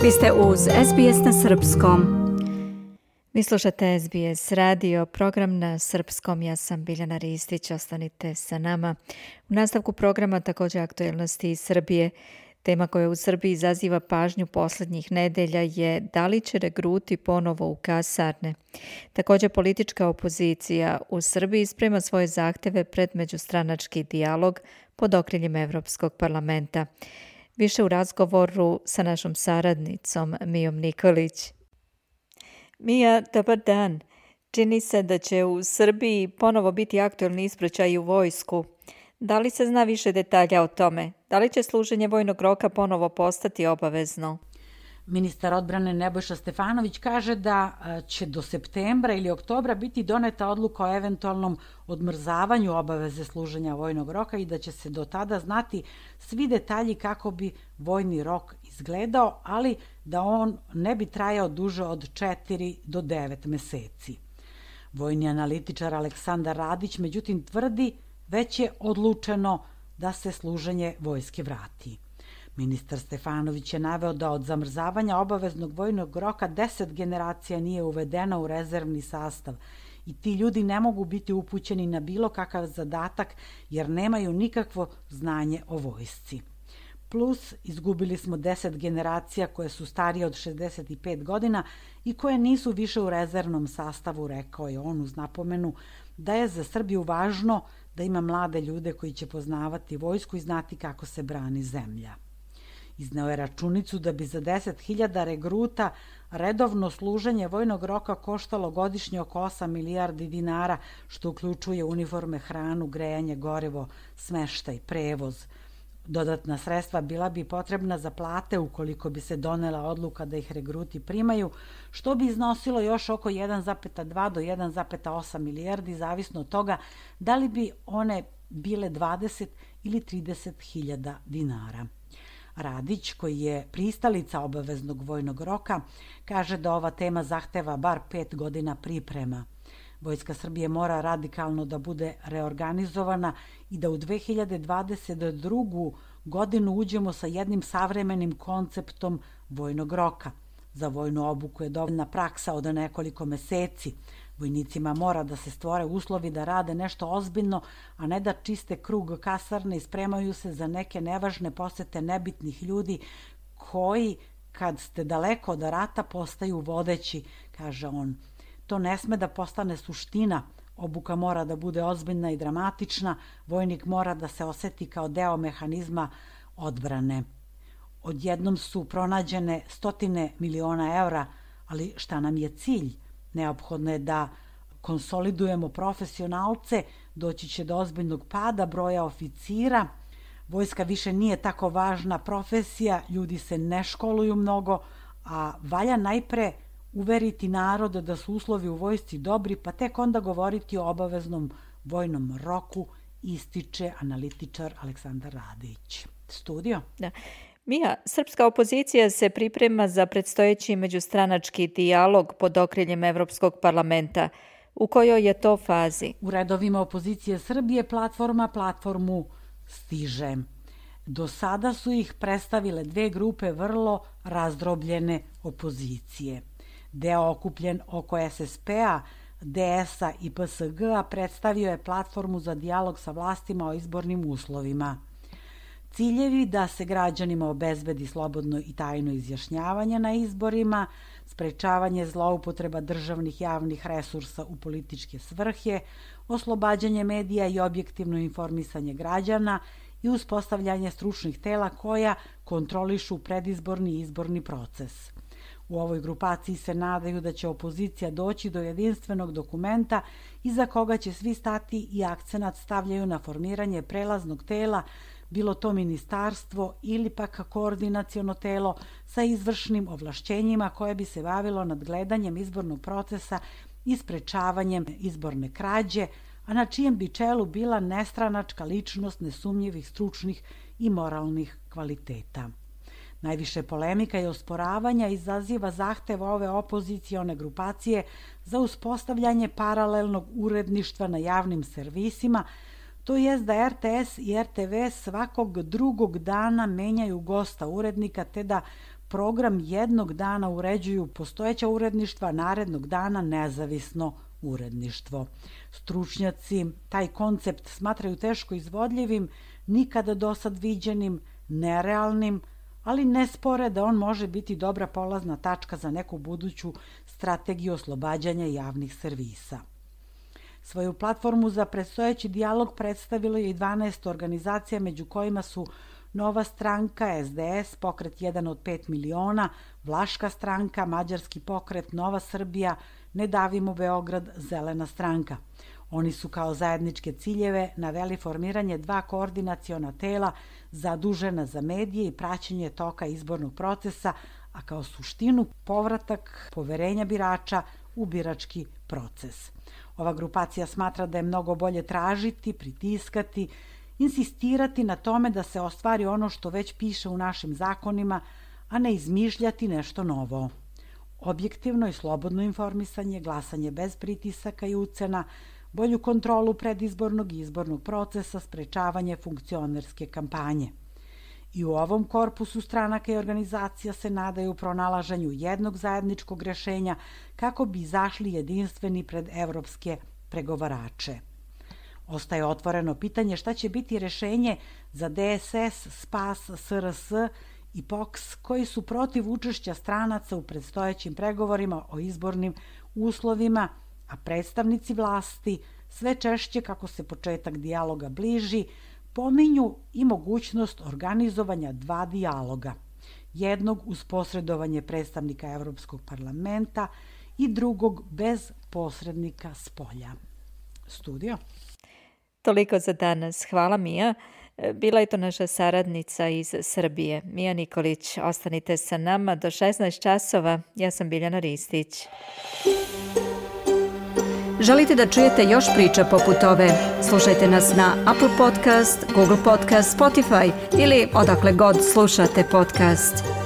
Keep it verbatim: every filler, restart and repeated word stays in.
Vi ste uz S B S na srpskom. Vi slušate S B S radio, program na srpskom. Ja sam Biljana Ristić, ostanite sa nama. U nastavku programa također aktuelnosti iz Srbije. Tema koja u Srbiji izaziva pažnju posljednjih nedelja je da li će regruti ponovo u kasarne. Također politička opozicija u Srbiji sprema svoje zahteve pred međustranački dijalog pod okriljem Evropskog parlamenta. Više u razgovoru sa našom saradnicom Mijom Nikolić. Mija, dobar dan. Čini se da će u Srbiji ponovo biti aktuelni ispraćaj u vojsku. Da li se zna više detalja o tome? Da li će služenje vojnog roka ponovo postati obavezno? Ministar odbrane Nebojša Stefanović kaže da će do septembra ili oktobra biti doneta odluka o eventualnom odmrzavanju obaveze služenja vojnog roka i da će se do tada znati svi detalji kako bi vojni rok izgledao, ali da on ne bi trajao duže od četiri do devet meseci. Vojni analitičar Aleksandar Radić međutim tvrdi već je odlučeno da se služenje vojske vrati. Ministar Stefanović je naveo da od zamrzavanja obaveznog vojnog roka deset generacija nije uvedeno u rezervni sastav i ti ljudi ne mogu biti upućeni na bilo kakav zadatak jer nemaju nikakvo znanje o vojsci. Plus, izgubili smo deset generacija koje su starije od šezdeset pet godina i koje nisu više u rezervnom sastavu, rekao je on uz napomenu da je za Srbiju važno da ima mlade ljude koji će poznavati vojsku i znati kako se brani zemlja. Izneo je računicu da bi za deset hiljada regruta redovno služenje vojnog roka koštalo godišnje oko osam milijardi dinara, što uključuje uniforme, hranu, grejanje, gorivo, smeštaj, prevoz. Dodatna sredstva bila bi potrebna za plate ukoliko bi se donela odluka da ih regruti primaju, što bi iznosilo još oko jedan zarez dva do jedan zarez osam milijardi, zavisno od toga da li bi one bile dvadeset ili trideset hiljada dinara. Radić, koji je pristalica obaveznog vojnog roka, kaže da ova tema zahteva bar pet godina priprema. Vojska Srbije mora radikalno da bude reorganizovana i da u dve hiljade dvadeset drugu. godinu uđemo sa jednim savremenim konceptom vojnog roka. Za vojnu obuku je dovoljna praksa od nekoliko meseci. Vojnicima mora da se stvore uslovi da rade nešto ozbiljno, a ne da čiste krug kasarne i spremaju se za neke nevažne posete nebitnih ljudi koji, kad ste daleko od rata, postaju vodeći, kaže on. To ne sme da postane suština. Obuka mora da bude ozbiljna i dramatična. Vojnik mora da se oseti kao deo mehanizma odbrane. Odjednom su pronađene stotine miliona evra, ali šta nam je cilj? Neophodno je da konsolidujemo profesionalce, doći će do ozbiljnog pada broja oficira. Vojska više nije tako važna profesija, ljudi se ne školuju mnogo, a valja najpre uveriti narod da su uslovi u vojsci dobri, pa tek onda govoriti o obaveznom vojnom roku, ističe analitičar Aleksandar Radić. Studio? Da. Mija, srpska opozicija se priprema za predstojeći međustranački dijalog pod okriljem Evropskog parlamenta. U kojoj je to fazi? U redovima opozicije Srbije platforma platformu stiže. Do sada su ih predstavile dve grupe vrlo razdrobljene opozicije. Deo okupljen oko S S P-a, D S-a i P S G-a predstavio je platformu za dijalog sa vlastima o izbornim uslovima. Ciljevi da se građanima obezbedi slobodno i tajno izjašnjavanje na izborima, sprečavanje zloupotreba državnih javnih resursa u političke svrhe, oslobađanje medija i objektivno informisanje građana i uspostavljanje stručnih tela koja kontrolišu predizborni i izborni proces. U ovoj grupaciji se nadaju da će opozicija doći do jedinstvenog dokumenta iza koga će svi stati i akcenat stavljaju na formiranje prelaznog tela, bilo to ministarstvo ili pak koordinaciono telo sa izvršnim ovlašćenjima koje bi se bavilo nadgledanjem izbornog procesa i sprečavanjem izborne krađe, a na čijem bi čelu bila nestranačka ličnost nesumnjivih stručnih i moralnih kvaliteta. Najviše polemika i osporavanja izaziva zahtev ove opozicione grupacije za uspostavljanje paralelnog uredništva na javnim servisima, to jest da R T S i R T V svakog drugog dana menjaju gosta urednika te da program jednog dana uređuju postojeća uredništva, narednog dana nezavisno uredništvo. Stručnjaci taj koncept smatraju teško izvodljivim, nikada dosad viđenim, nerealnim, ali ne spore da on može biti dobra polazna tačka za neku buduću strategiju oslobađanja javnih servisa. Svoju platformu za predstojeći dijalog predstavilo je i dvanaest organizacija, među kojima su Nova stranka, es de es, Pokret jedan od pet miliona, Vlaška stranka, Mađarski pokret, Nova Srbija, Ne davimo Beograd, Zelena stranka. Oni su kao zajedničke ciljeve naveli formiranje dva koordinaciona tela zadužena za medije i praćenje toka izbornog procesa, a kao suštinu povratak poverenja birača u birački proces. Ova grupacija smatra da je mnogo bolje tražiti, pritiskati, insistirati na tome da se ostvari ono što već piše u našim zakonima, a ne izmišljati nešto novo. Objektivno i slobodno informisanje, glasanje bez pritisaka i ucena, bolju kontrolu predizbornog i izbornog procesa, sprečavanje funkcionerske kampanje. I u ovom korpusu stranaka i organizacija se nadaju pronalaženju jednog zajedničkog rešenja kako bi izašli jedinstveni pred evropske pregovarače. Ostaje otvoreno pitanje šta će biti rešenje za de es es, Spas, es er es i pe o k s koji su protiv učešća stranaca u predstojećim pregovorima o izbornim uslovima, a predstavnici vlasti sve češće kako se početak dijaloga bliži, pominju i mogućnost organizovanja dva dijaloga. Jednog uz posredovanje predstavnika Evropskog parlamenta i drugog bez posrednika spolja. Studio. Toliko za danas. Hvala, Mija. Bila je to naša saradnica iz Srbije, Mija Nikolić. Ostanite sa nama do šesnaest časova. Ja sam Biljana Ristić. Želite da čujete još priča poput ove? Slušajte nas na Apple Podcast, Google Podcast, Spotify ili odakle god slušate podcast.